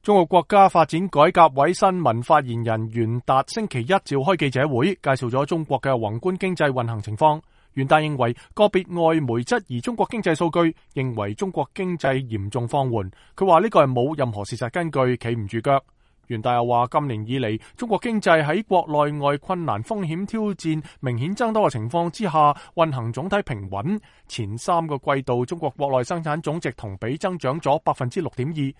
中國國家發展改革委新聞發言人袁達星期一召開記者會，介紹咗中國嘅宏觀經濟運行情況。袁達認為個別外媒質疑中國經濟數據，認為中國經濟嚴重放緩。佢話呢個係冇任何事實根據，企唔住腳。袁達又話今年以嚟，中國經濟喺國內外困難風險挑戰明顯增多嘅情況之下，運行總體平穩。前3個季度，中國國內生產總值同比增長咗 6.2%。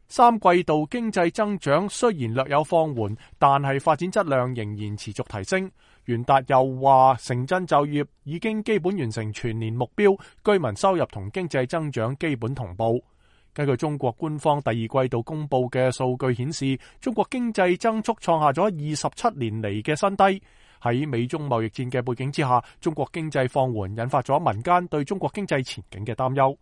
3季度經濟增長雖然略有放緩，但係發展質量仍然持續提升。袁達又話，城鎮就業已經基本完成全年目標，居民收入同經濟增長基本同步。根據中國官方第2季度公布嘅數據顯示，中國經濟增速創下咗27年嚟嘅新低。喺美中貿易戰嘅背景之下，中國經濟放緩引發咗民間對中國經濟前景嘅擔憂。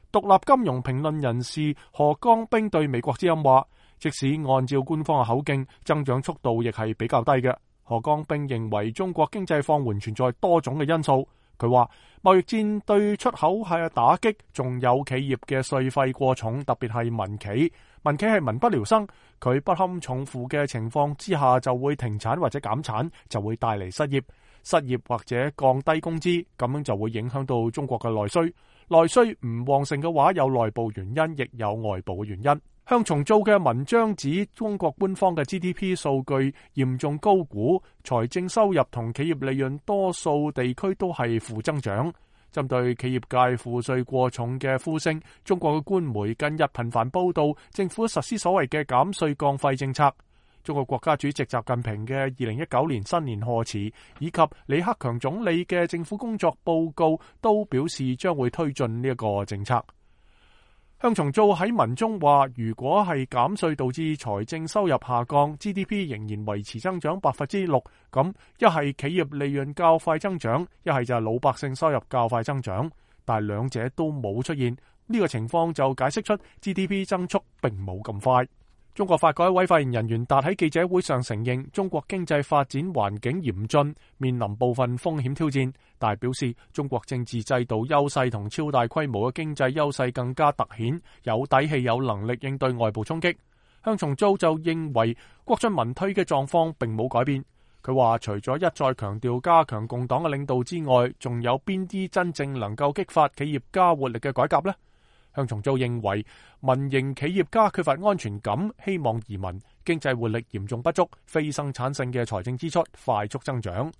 獨立金融評論人士何江兵對美國之音話，即使按照官方嘅口徑，增長速度亦係比較低嘅。何江兵認為中國經濟放緩存在多種嘅因素。佢話貿易戰對出口係打擊，仲有企業嘅稅費過重，特別係民企。民企係民不聊生，佢不堪重負嘅情況之下就會停產或者減產，就會帶嚟失業或者降低工資，咁樣就會影響到中國嘅內需。內需唔旺盛嘅話，有內部原因，亦有外部嘅原因。向從造嘅文章指，中國官方嘅 GDP 數據嚴重高估，財政收入同企業利潤多數地區都係負增長。針對企業界賦稅過重嘅呼聲，中國嘅官媒近日頻繁報道政府實施所謂嘅減稅降費政策。中國國家主席習近平嘅2019年新年賀詞以及李克強總理嘅政府工作報告都表示將會推進呢一個政策。向從造喺文中話，如果係減稅導致財政收入下降， GDP 仍然維持增長 6%， 咁一係企業利潤較快增長，一係就係老百姓收入較快增長，但係兩者都冇出現，呢個情況就解釋出 GDP 增速並冇咁快。中國發改委發言人袁達喺記者會上承認，中國經濟發展環境嚴峻，面臨部分風險挑戰，但係表示中國政治制度優勢同超大規模嘅經濟優勢更加凸顯，有底氣有能力應對外部衝擊。向從造就認為國進民退嘅狀況並冇改變。佢話除咗一再強調加強共黨嘅領導之外，仲有邊啲真正能夠激發企業家活力嘅改革呢？向從造認為民營企業家缺乏安全感，希望移民，經濟活力嚴重不足，非生產性嘅財政支出快速增長。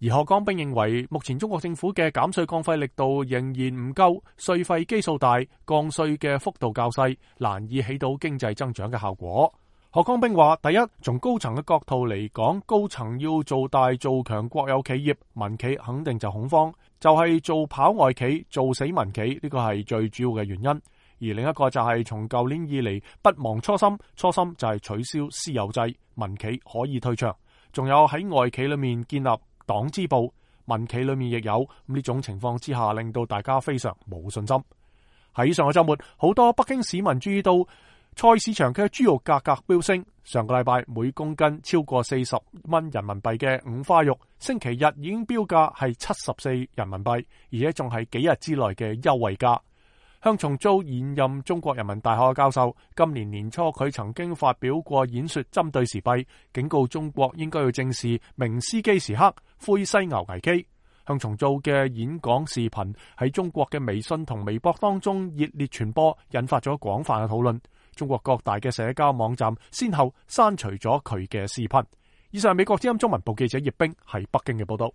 而何江兵認為目前中國政府嘅減稅降費力度仍然唔夠，稅費基數大，降稅嘅幅度較細，難以起到經濟增長嘅效果。何江兵話，第一，從高層嘅角度嚟講，高層要做大做強國有企業，民企肯定就恐慌，就係做跑外企，做死民企，呢個係最主要嘅原因。而另一個就係從舊年以嚟不忘初心，初心就係取消私有制，民企可以退場，仲有喺外企裏面建立黨支部，民企裏面亦有，呢種情況之下令到大家非常冇信心。喺上個週末，好多北京市民注意到菜市場嘅豬肉價格飆升，上個禮拜每公斤超過40蚊人民幣嘅五花肉，星期日已經標價係74人民幣，而且仲係幾日之內嘅優惠價。向從造現任中國人民大學嘅教授，今年年初佢曾經發表過演說，針對時弊，警告中國應該要正視明斯基時刻、灰犀牛危機。向從造嘅演講視頻喺中國嘅微信同微博當中熱烈傳播，引發咗廣泛嘅討論。中國各大嘅社交網站先後刪除咗佢嘅視頻。以上係美國之音中文部記者葉冰喺北京嘅報道。